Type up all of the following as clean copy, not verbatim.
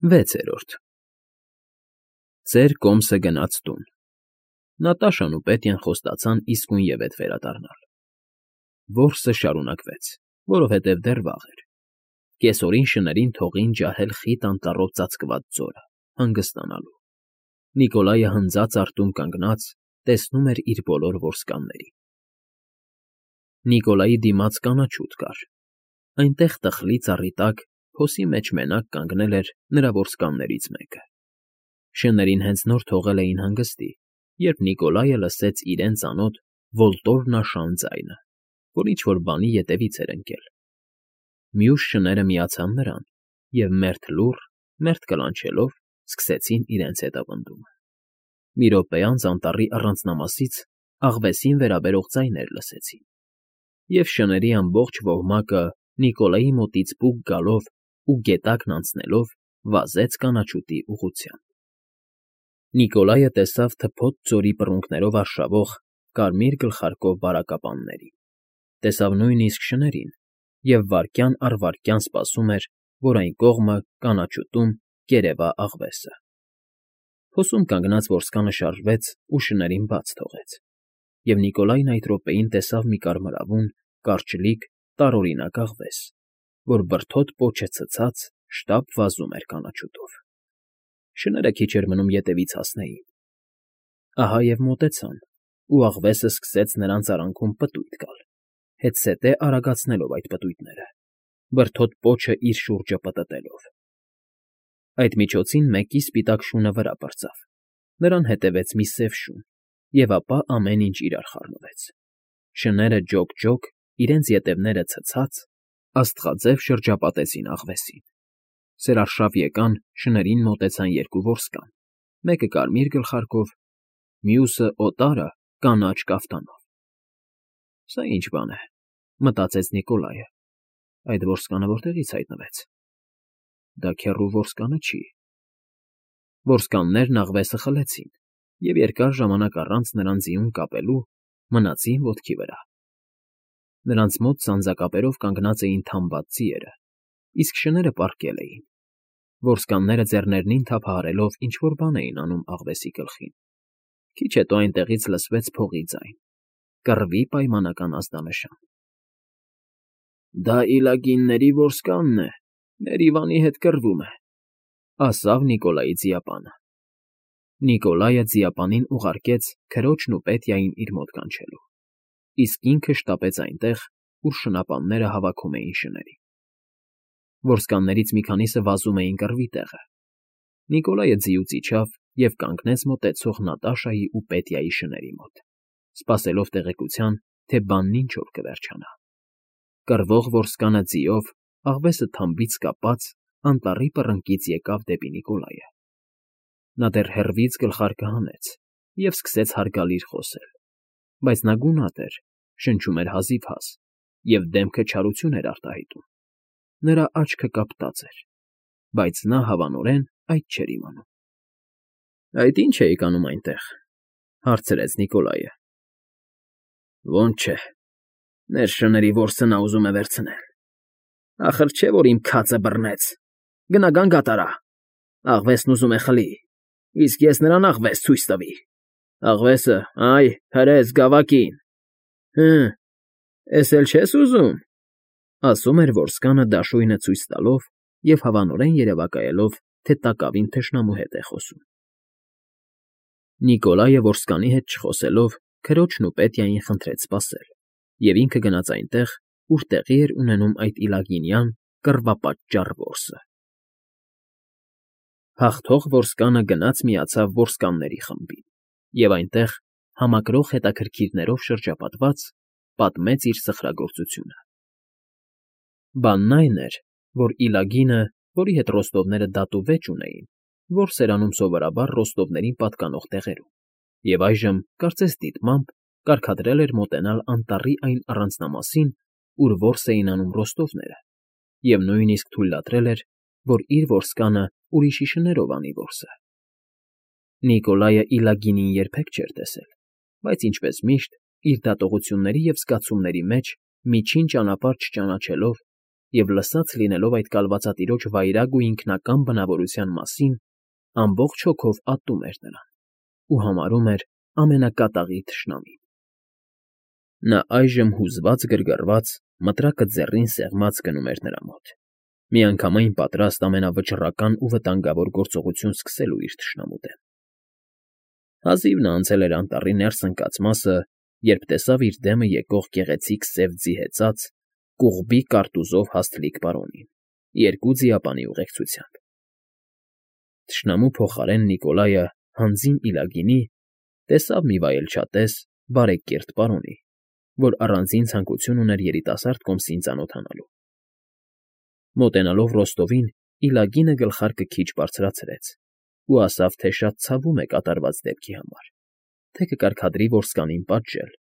6-րդ Ծեր կոմսը գնաց տուն։ Նատաշան ու Պետյան խոստացան իսկույնևեթ վերադառնալ։ Որսը շարունակվեց, որովհետև դեռ վաղ էր։ Կեսօրին շներին թողին ջահել խիտ անտառով ծածկված ձորը, հանգստանալու։ Նիկոլայը հնձած արտում կանգնած տեսնում էր իր բոլոր որսկաններին։ Նիկոլայի դիմաց կանաչուտ կար։ Այնտեղ տխլի ծառի տակ փոսի մեջ մենակ կանգնել էր նրա որսկաններից մեկը։ Շներին հենց նոր թողել էին հանգստի, երբ Նիկոլայը լսեց իրեն ծանոթ ոլտորնաշան ձայնը, որ ինչ֊որ բանի ետևից էր ընկել։ Մյուս շները միացան նրան և մերթ լուռ, մերթ կլանչելով սկսեցին իրենց հետապնդումը։ Մի րոպե անց անտառի առանձնամասից աղվեսին վերաբերող ձայներ լսեցին, և շների ամբողջ ոհմակը Նիկոլայի մոտից պուկ գալով ու գետակն անցնելով վազեց կանաչուտի ուղղությամբ։ Նիկոլայը տեսավ թփոթ ձորի բռունկներով արշավող կարմիր գլխարկով բարակապաններին, տեսավ նույնիսկ շներին և վայրկյան առ վայրկյան սպասում էր, որ այն կողմը, կանաչուտում, կերևա աղվեսը։ Փոսում կանգնած որսկանը շարժվեց ու շներին բաց թողեց, և Նիկոլայն այդ րոպեին տեսավ մի կարմրավուն, կարճլիկ, տարօրինակ աղվես, որ բրդոտ պոչը ցցած շտապ վազում էր կանաչուտով։ Շները քիչ էր մնում ետևից հասնեին։ Ահա և մոտեցան, ու աղվեսը սկսեց նրանց արանքում պտույտ գալ, հետզհետե արագացնելով այդ պտույտները, բրդոտ պոչը իր շուրջը պտտելով։ Այդ միջոցին մեկի սպիտակ շունը վրա պրծավ, նրան հետևեց մի սև շուն, և ապա ամեն ինչ իրար խառնվեց։ Շները ջոկ֊ջոկ, իրենց ետևները ցցած, աստղաձև շրջապատեցին աղվեսին։ Սերարշավ եկան, շներին մոտեցան երկու որսկան, մեկը կարմիր գլխարկով, մյուսը օտարը կանաչ կաֆտանով։ «Սա ի՞նչ բան է,֊ մտածեց Նիկոլայը,֊ այդ որսկանը որտեղից հայտնվեց։ Դա քեռու որսկանը չի»։ Որսկաններն աղվեսը խլեցին և երկար ժամանակ առանց նրան ձիուն կապելու մնացին ոտքի վրա։ Նրանց մոտ սանձակապերով կանգնած էին թամբած ձիերը, իսկ շները պառկել էին։ Որսկանները ձեռներնին թափահարելով ինչ֊որ բան էին անում աղվեսի գլխին։ Քիչ հետո այնտեղից լսվեց փողի ձայն, կռվի պայմանական ազդանշան։ «Դա իլագինների որսկանն է, մեր Իվանի հետ կռվում է,֊ ասավ Նիկոլայի ձիապանը։ Նիկոլայը ձիապանին ուղարկեց քրոջն ու Պետյային իր մոտ կանչելու, իսկ ինքը շտապեց այնտեղ, ուր շնապանները հավաքում էին շներին։ Որսկաններից մի քանիսը վազում էին կռվի տեղը։ Նիկոլայը ձիուց իջավ և կանգնեց մոտեցող Նատաշայի ու Պետյայի շների մոտ, սպասելով տեղեկության, թե բանն ինչով կվերջանա։ Կռվող որսկանը ձիով, աղվեսը թամբից կապած, անտառի պռնկից եկավ դեպի Նիկոլայը։ Նա դեռ հեռվից գլխարկը հանեց և սկսեց հարգալից խոսել, բայց նա գունատ էր, շնչում էր հազիվհազ և դեմքը չարություն էր արտահայտում։ Նրա աչքը կապտած էր, բայց նա հավանորեն այդ չէր իմանում։ «Այդ ի՞նչ էիք անում այնտեղ,֊ հարցրեց Նիկոլայը։ Ոնց չէ, մեր շների որսը նա ուզում է վերցնել։ Ախր չէ, որ իմ քացը բռնեց, գնա գանգատ արա, աղվեսն ուզում է խլի, իսկ ես նրան աղվես ցույց տվի։ Աղվեսը, այ, հրես գավակին։ Հը, էս էլ չես ուզում,֊ ասում էր որսկանը դաշույնը ցույց տալով և հավանորեն երևակայելով, թե տակավին թշնամու հետ է խոսում։ Նիկոլայը որսկանի հետ չխոսելով քրոջն ու Պետյային խնդրեց սպասել, և ինքը գնաց այնտեղ, ուր տեղի էր ունենում այդ իլագինյան կռվապատճառ որսը։ Հաղթող որսկանը գնաց միացավ որսկանների խմբին և այնտեղ, համակրող հետաքրքիրներով շրջապատված, պատմեց իր սխրագործությունը։ Բանն այն էր, որ իլագինը, որի հետ ռոստովները դատ ու վեճ ունեին, որս էր անում սովորաբար ռոստովներին պատկանող տեղերում, և այժմ, կարծես դիտմամբ, կարգադրել էր մոտենալ անտառի այն առանձնամասին, ուր որս էին անում ռոստովները, և նույնիսկ թույլատրել էր, որ իր որսկանը ուրիշի շներով անի որսը։ Նիկոլայը իլագինին երբեք չէր տեսել, բայց ինչպես միշտ, իր դատողությունների և զգացումների մեջ միջին ճանապարհ չճանաչելով, և լսած լինելով այդ կալվածատիրոջ վայրագ ու ինքնակամ բնավորության մասին, ամբողջ հոգով ատում էր նրան ու համարում էր ամենակատաղի թշնամին։ Նա այժմ հուզված գրգռված, մտրակը ձեռին սեղմած գնում էր նրա մոտ, միանգամայն պատրաստ ամենավճռական ու վտանգավոր գործողություն սկսելու իր թշնամու դեմ։ Հազիվ նա անցել էր անտառի ներս ընկած մասը, երբ տեսավ իր դեմը եկող գեղեցիկ սև ձի հեծած, կուղբի կարտուզով հաստլիկ պարոնին, երկու ձիապանի ուղեկցությամբ։ Թշնամու փոխարեն Նիկոլայը հանձին իլագինի տեսավ մի վայելչատես, բարեկիրթ պարոնի, որ առանձին ցանկություն ուներ երիտասարդ կոմսին ծանոթանալու։ Մոտենալով Ռոստովին, իլագինը գլխարկը քիչ բարձրացրեց ու ասավ, թե շատ ցավում է կատարված դեպքի համար, թե կկարգադրի որսկանին պատժել,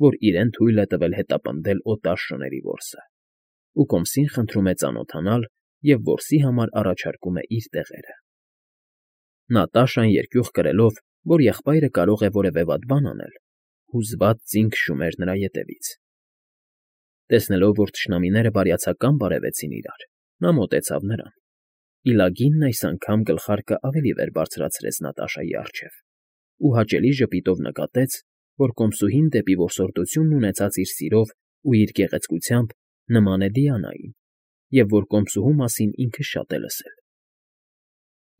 որ իրեն թույլ է տվել հետապնդել օտար շների որսը, ու կոմսին խնդրում է ծանոթանալ և որսի համար առաջարկում է իր տեղերը։ Նատաշան երկյուղ կրելով, որ եղբայրը կարող է որևէ վատ բան անել, հուզված ձին քշում էր նրա ետևից։ Տեսնելով, որ թշնամիները բարյացակամ բարևեցին իրար, նա մոտեցավ նրան։ Իլագինն այս անգամ գլխարկը ավելի վեր բարձրացրեց Նատաշայի առջև ու հաճելի ժպիտով նկատեց, որ կոմսուհին դեպի որսորդությունն ունեցած իր սիրով ու իր գեղեցկությամբ նման է Դիանային, և որ կոմսուհու մասին ինքը շատ է լսել։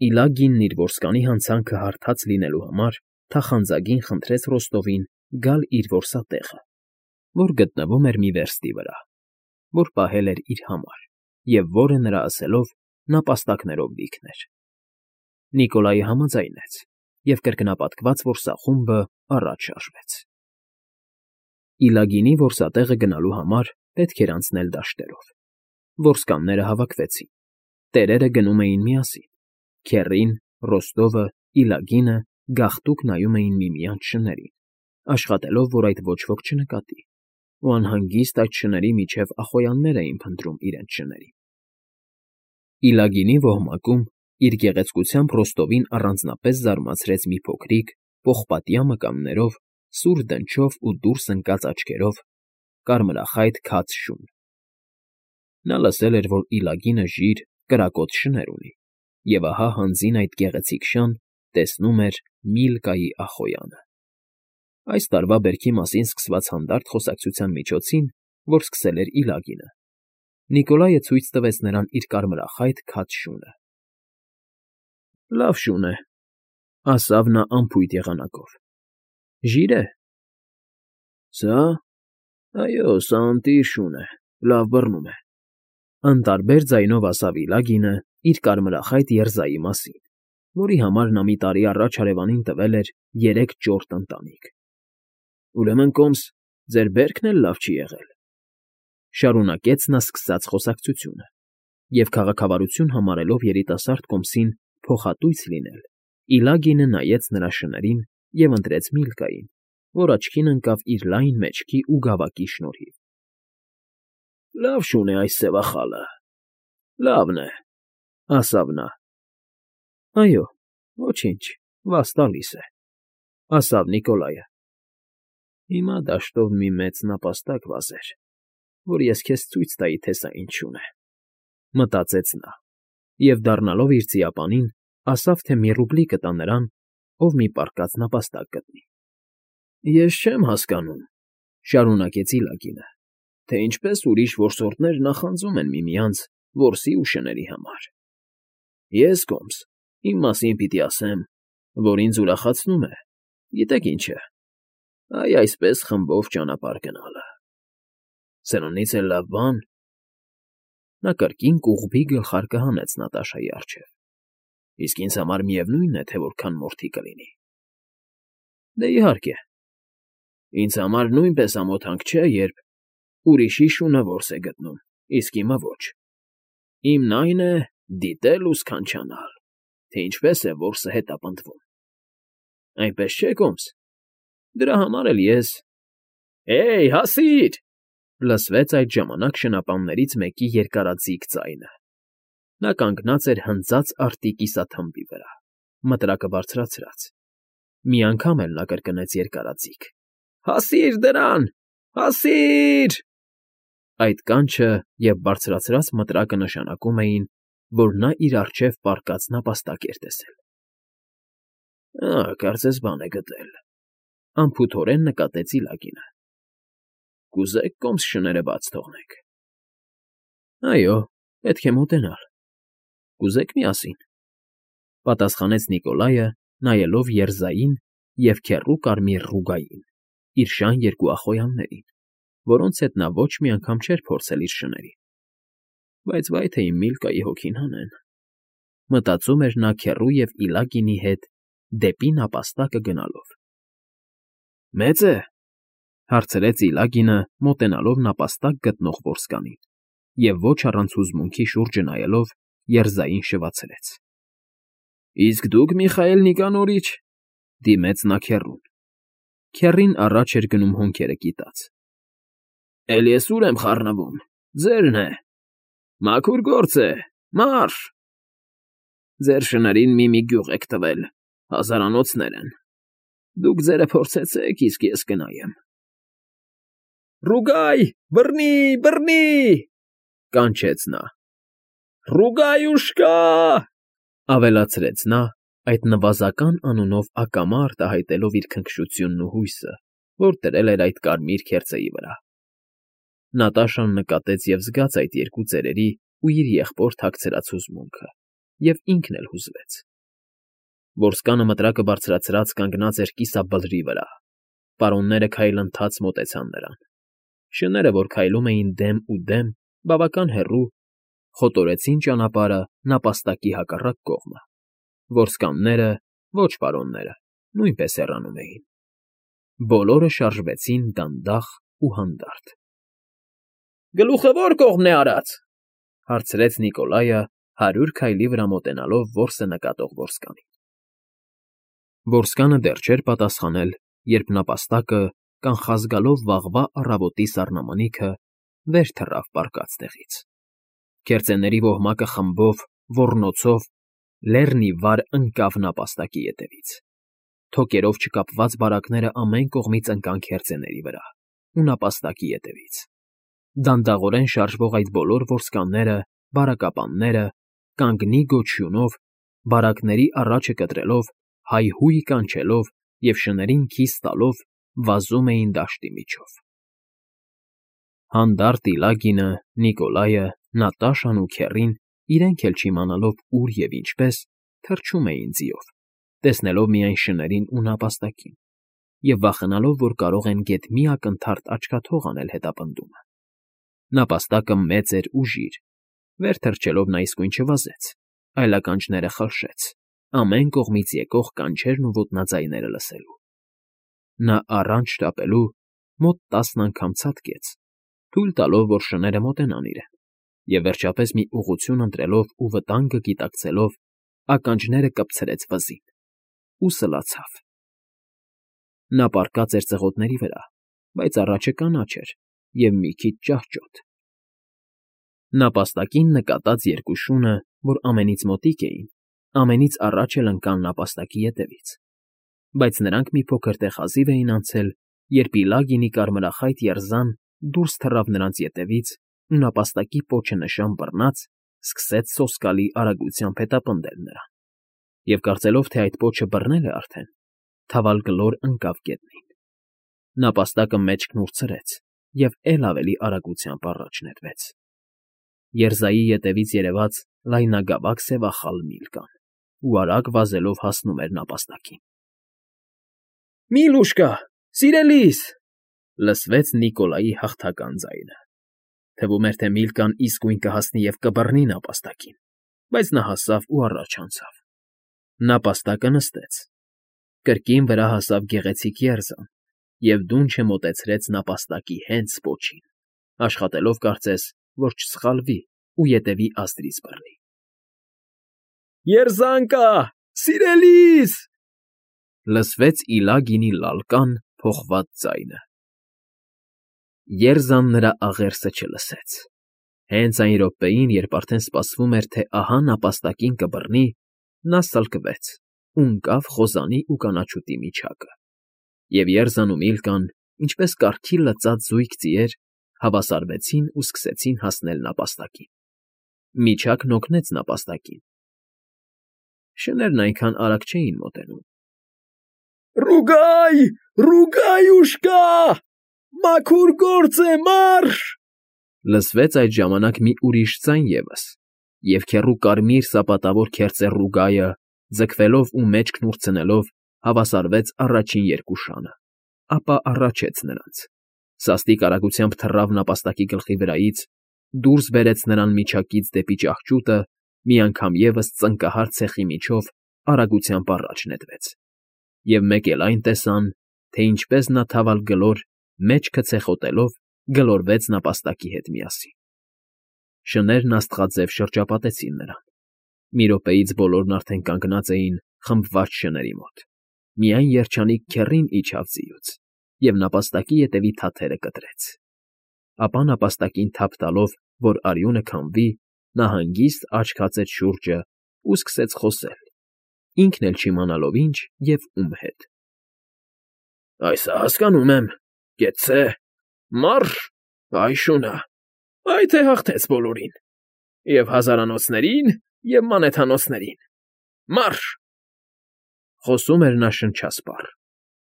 Իլագինն իր որսկանի հանցանքը հարթած լինելու համար թախանձագին խնդրեց Ռոստովին գալ իր որսատեղը, որ գտնվում էր մի վերստի վրա, որ պահել էր իր համար, և որը, նրա ասելով, նապաստակներով լիքն էր։ Նիկոլայը համաձայնեց, և կրկնապատկված որսախումբը առաջ շարժվեց։ Իլագինի որսատեղը գնալու համար պետք էր անցնել դաշտերով։ Որսկանները հավաքվեցին։ Տերերը գնում էին միասին։ Քեռին, Ռոստովը, Իլագինը գաղտուկ նայում էին միմյանց շներին, աշխատելով, որ այդ ոչ ոք չնկատի, ու անհանգիստ այդ շների միջև ախոյաններ էին փնտրում իրենց շներին։ Իլագինի ոհմակում իր գեղեցկությամբ Ռոստովին առանձնապես զարմացրեց մի փոքրիկ, պողպատյա մկաններով, սուր դնչով ու դուրս ընկած աչքերով, կարմրախայտ քաջ շուն։ Նա լսել էր, որ Իլագինը ժիր, կրակոտ շներ ունի, և ահա հանձին այդ գեղեցիկ շան տեսնում էր Միլկայի ախոյանը։ Այս տարվա բերքի մասին սկսված հանդարտ խոսակցության միջոցին, որ սկսել էր Իլագինը, Նիկոլայը ցույց տվեց նրան իր կարմրախայտ քաջ շունը։ Լավ շուն է, ասավ նա անփույթ եղանակով։ Ժի՞ր է։ Սա։ Այո, սա ընտիր շուն է, լավ բռնում է, անտարբեր ձայնով ասավ Իլագինը իր կարմրախայտ երզայի մասին, որի համար նա մի տարի առաջ հարևանին տվել էր 3 ճորտ ընտանիք։ Ուրեմն, կոմս, ձեր բերքն էլ լավ չի եղել, շարունակեց նա սկսած խոսակցությունը, և քաղաքավարություն համարելով երիտասարդ կոմսին փոխատույց լինել, Իլագինը նայեց նրա շներին և ընտրեց Միլկային, որ աչքին ընկավ իր լայն մեջքի ու գավակի շնորհիվ։ Լավ շուն է այս սևախալը, լավն է, ասավ նա։ Այո, ոչինչ, վազ տալիս է, ասավ Նիկոլայը։ Հիմա դաշտով մի մեծ նապաստակ վազեր, որ ես քեզ ցույց տայի, թե սա ինչ շուն է, մտածեց նա, և դառնալով իր ձիապանին, ասավ, թե մի ռուբլի կտա նրան, ով մի պառկած նապաստակ գտնի։ Ես չեմ հասկանում, շարունակեց Իլագինը, թե ինչպես ուրիշ որսորդներ նախանձում են միմյանց որսի ու շների համար։ Ես, կոմս, իմ մասին պիտի ասեմ, որ ինձ ուրախացնում է, գիտեք ինչ է, այսպես խմբով ճանապարհ գնալը։ Սրանից էլ լավ բան… Նա կրկին կուղբի գլխարկը հանեց Նատաշայի առջև։ Իսկ ինձ համար միևնույն է, թե որքան մորթի կլինի։ Դե իհարկե, ինձ համար նույնպես ամոթանք չէ, երբ ուրիշի շունը որս է գտնում, իսկ իմը ոչ։ Իմն այն է դիտել ու սքանչանալ, թե ինչպես է որսը հետապնդվում։ Այնպես չէ՞, կոմս։ Դրա համար էլ ես… Հեյ, հասի՛ր… Լսվեց այդ ժամանակ շնապաններից մեկի երկարաձիգ ձայնը։ Նա կանգնած էր հնձած արդի կիսաթմբի վրա, մտրակը բարձրացրած։ Մի անգամ էլ նա կրկնեց երկարաձիգ. Հասի՛ր դրան… Հասի՛ր… Այդ կանչը և բարձրացրած մտրակը նշանակում էին, որ նա իր առջև պառկած նապաստակ էր տեսել։ Կարծես բան է գտել,֊ անփութորեն նկատեց Իլագինը։ Կուզե՞ք կոմս շները բաց թողնենք։ Այո, պետք է մոտենալ։ Կուզե՞ք միասին,֊ պատասխանեց Նիկոլայը, նայելով երզային և քեռու կարմիր ռուգային, իր շան երկու ախոյաններին, որոնց հետ նա ոչ մի անգամ չէր փորձել իր շներին։ Բայց վայ թե իմ Միլկայի հոգին հանեն,֊ մտածում էր նա քեռու և Իլագինի հետ դեպի նապաստակը գնալով։ Մեծ է,֊ հարցրեց Իլագինը, մոտենալով նապաստակ գտնող որսկանին, և ոչ առանց հուզմունքի շուրջը նայելով երզային շվացրեց։ Իսկ դուք, Միխայել Նիկանորիչ,֊ դիմեց նա քեռուն։ Քեռին առաջ էր գնում հոնքերը կիտած։ Էլ ես ուր եմ խառնվում, ձերն է, մաքուր գործ է, մարշ… Ձեր շներին մի գյուղ եք տվել, հազարանոցներ են, դուք ձերը փորձեցեք, իսկ ես կնայեմ։ Ռուգայ, բռնի, բռնի,֊ կանչեց նա։ Ռուգայուշկա,֊ ավելացրեց նա, այդ նվազական անունով ակամա արտահայտելով իր քնքշությունն ու հույսը, որ դրել էր այդ կարմիր քերծեի վրա։ Նատաշան նկատեց և զգաց այդ երկու ծերերի ու իր եղբոր թաքցրած հուզմունքը, և ինքն էլ հուզվեց։ Որսկանը մտրակը բարձրացրած կանգնած էր կիսաբլրի վրա։ Պարոնները քայլընթաց մոտեցան նրան։ Շները, որ քայլում էին դեմ ու դեմ, բավական հեռու, խոտորեցին ճանապարհը նապաստակի հակառակ կողմը։ Որսկանները, ոչ պարոնները, նույնպես հեռանում էին։ Բոլորը շարժվեցին դանդաղ ու հանդարտ։ Գլուխը ո՞ր կողմն է արած,֊ հարցրեց Նիկոլայը, 100 քայլի վրա մոտենալով որսը նկատող որսկանին։ Որսկանը դեռ չէր պատասխանել, երբ նապաստակը, կանխազգալով վաղվա առավոտի սառնամանիքը, վեր թռավ պառկած տեղից։ Քերծեների ոհմակը խմբով, ոռնոցով, լեռն ի վար ընկավ նապաստակի ետևից։ Թոկերով չկապված բարակները ամեն կողմից ընկան քերծեների վրա ու նապաստակի ետևից։ Դանդաղորեն շարժվող այդ բոլոր որսկանները, բարակապանները, կանգնի գոչյունով, բարակների առաջը կտրելով, հայհույն կանչելով և շներին քիս տալով վազում էին դաշտի միջով։ Հանդարտ Իլագինը, Նիկոլայը, Նատաշան ու քեռին, իրենք էլ չիմանալով ուր և ինչպես, թռչում էին ձիով, տեսնելով միայն շներին ու նապաստակին, և վախենալով, որ կարող են գեթ մի ակնթարթ աչքաթող անել հետապնդումը։ Նապաստակը մեծ էր ու ժիր, վեր թռչելով նա իսկույն չվազեց, այլ ականջները խլշեց, ամեն կողմից եկող կանչերն ու ոտնաձայները լսելու։ Նա առանց շտապելու մոտ 10 անգամ ցատկեց, թույլ տալով, որ շները մոտենան իրեն, և վերջապես մի ուղղություն ընտրելով ու վտանգը գիտակցելով, ականջները կպցրեց վզին ու սլացավ։ Նա պառկած էր ծղոտների վրա, բայց առաջը կանաչ էր և մի քիչ ճահճոտ։ Նապաստակին նկատած երկու շունը, որ ամենից մոտիկ էին, ամենից առաջ էլ ընկան նապաստակի ետևից, բայց նրանք մի փոքր տեղ հազիվ էին անցել, երբ Իլագինի կարմրախայտ երզան դուրս թռավ նրանց ետևից ու նապաստակի պոչը նշան բռնած, սկսեց սոսկալի արագությամբ հետապնդել նրան, և կարծելով, թե այդ պոչը բռնել է արդեն, թավալգլոր ընկավ գետնին։ Նապաստակը մեջքն ուրցրեց և էլ ավելի արագությամբ առաջ նետվեց։ Երզայի ետևից երևաց լայնագավակ սևախալ Միլկան ու արագ վազելով հասնում էր նապաստակին։ Միլուշկա, սիրելիս,֊ լսվեց Նիկոլայի հաղթական ձայնը։ Թվում էր, թե Միլկան իսկույն կհասնի և կբռնի նապաստակին, բայց նա հասավ ու առաջ անցավ։ Նապաստակը նստեց։ Կրկին վրա հասավ գեղեցիկ երզան և դունչը մոտեցրեց նապաստակի հենց պոչին, աշխատելով, կարծես, որ չսխալվի ու ետևի ազդրից բռնի։ Երզան կա, սիրելիս,֊ լսվեց Իլագինի լալկան, փոխված ձայնը։ Երզան նրա աղերսը չլսեց։ Հենց այն րոպեին, երբ արդեն սպասվում էր, թե ահա նապաստակին կբռնի, նա սլկվեց ու ընկավ խոզանի ու կանաչուտի միջակը, և Երզան ու Միլկան, ինչպես կառքի լծած զույգ ձիեր, հավասարվեցին ու սկսեցին հասնել նապաստակին։ Միջակն օգնեց նապաստակին։ Շներն այնքան արագ չէին մոտենում։ Ռուգայ, Ռուգայուշկա, մաքուր գործ է, մարշ, լսվեց այդ ժամանակ մի ուրիշ ձայն ևս, և քեռու կարմիր սապատավոր քերծեր Ռուգայը, ձգվելով ու մեջքն ուրցնելով, հավասարվեց առաջին երկու շանը, ապա առաջեց նրանց, սաստիկ արագությամբ թռավ նապաստակի գլխի վրայից, դուրս բերեց նրան միջակից դեպի ճահճուտը, մի անգամ ևս ծնկահար ցեխի միջով արագությամբ առաջ նետվեց, և մեկ էլ այն տեսան, թե ինչպես նա թավալ գլոր, մեջքը ցեխոտելով, գլորվեց նապաստակի հետ միասին։ Շներն աստղաձև շրջապատեցին նրան։ Մի րոպեից բոլորն արդեն կանգնած էին խմբված շների մոտ։ Միայն երջանիկ քեռին իջավ ձիուց, և նապաստակի ետևի թաթերը կտրեց։ Ապա նապաստակին թափ տալով, որ արյունը քամվի, նա հանգիստ աչք հացեց շուրջը ու սկսեց խոսել, ինքն էլ չիմանալով ինչ և ում հետ։ Այս հասկանում եմ, կեցցե, մարշ, այ շունը, այ թե հաղթեց բոլորին, և հազարանոցներին, և մանեթանոցներին, մարշ… Խոսում էր նա շնչասպառ,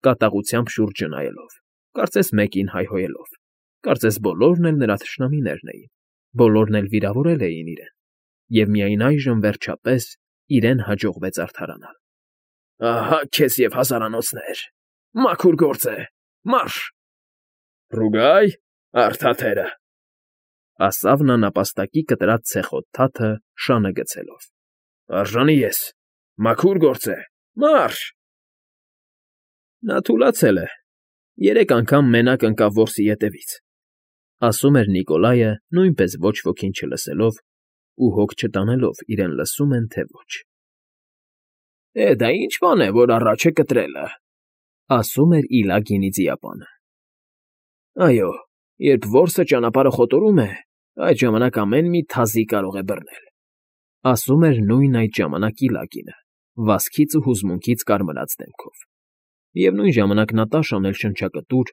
կատաղությամբ շուրջը նայելով, կարծես մեկին հայհոյելով, կարծես բոլորն էլ նրա թշնամիներն էին, բոլորն էլ վիրավորել էին իրեն, և միայն այժմ, վերջապես, իրեն հաջողվեց արդարանալ։ Ահա քեզ և հազարանոցներ, մաքուր գործ է, մարշ… Ռուգայ, առ թաթերը, ասավ նա նապաստակի կտրած ցեխոտ թաթը շանը գցելով։ Արժանի ես, մաքուր գործ է, մարշ… Նա թուլացել է, 3 անգամ մենակ ընկավ որսի ետևից, ասում էր Նիկոլայը, նույնպես ոչ ոքին չլսելով ու հոգ չտանելով իրեն լսում են, թե ոչ։ Դա ինչ բան է, որ առաջ է կտրելը, ասում էր Իլա գինիձիապանը։ Այո, երբ որսը ճանապարհը խոտորում է, այդ ժամանակ ամեն մի թազի կարող է բռնել, ասում էր նույն այդ ժամանակ Իլագինը, վազքից ու հուզմունքից կարմրած դեմքով։ Եվ նույն ժամանակ Նատաշան էլ շնչակտուր,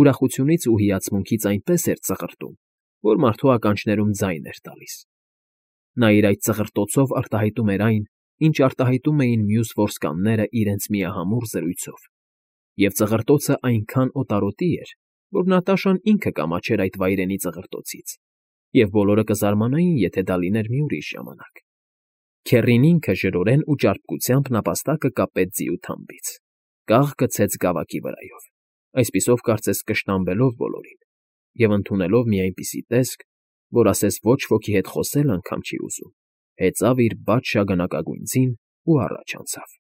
ուրախությունից ու հիացմունքից այնպես էր ծղրտում, որ մարդու ականջներում ձայն էր տալիս։ Նա իր այդ ծղրտոցով արտահայտում էր այն, ինչ արտահայտում էին մյուս որսկանները իրենց միահամուռ զրույցով, և ծղրտոցը այնքան օտարոտի էր, որ Նատաշան ինքը կամաչեր այդ վայրենի ծղրտոցից, և բոլորը կզարմանային, եթե դա լիներ մի ուրիշ ժամանակ։ Քեռին ինքը ժրորեն ու ճարպկությամբ նապաստակը կապեց ձիու թամբից, կաղ գցեց գավակի վրայով, այսպիսով կարծես կշտամբելով բոլորին, և ընդունելով մի այնպիսի տեսք, որ ասես ոչ ոքի հետ խոսել անգամ չի ուզում, հեծավ իր բաց շագանակագույն ձին ու առաջ անցավ։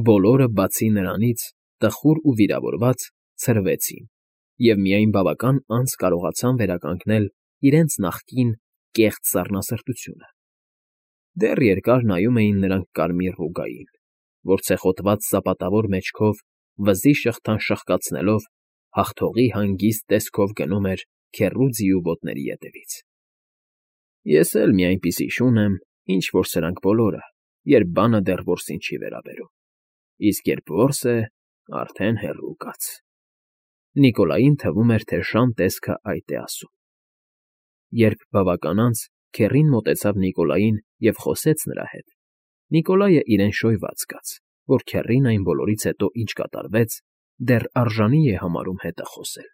Բոլորը, բացի նրանից, տխուր ու վիրավորված, ցրվեցին, և միայն բավական անց կարողացան վերականգնել իրենց նախկին կեղծ սառնասրտությունը։ Դեռ երկար նայում էին նրանք կարմիր Ռուգային, որ ցեխոտված սապատավոր մեջքով, վզի շղթան շաղկացնելով, հաղթողի հանգիստ տեսքով գնում էր քեռու ձիու ոտների ետևից։ Ես էլ մի այնպիսի շուն եմ, ինչ որ սրանք բոլորը, երբ բանը դեռ որսին չի վերաբերում, իսկ երբ որս է, արդեն հեռու կաց… Նիկոլային թվում էր, թե շան տեսքը այդ է ասում։ Երբ բավական անց քեռին մոտեցավ Նիկոլային և խոսեց նրա հետ, Նիկոլայը իրեն շոյված զգաց, որ քեռին այն բոլորից հետո, ինչ կատարվեց, դեռ արժանի է համարում հետը խոսել։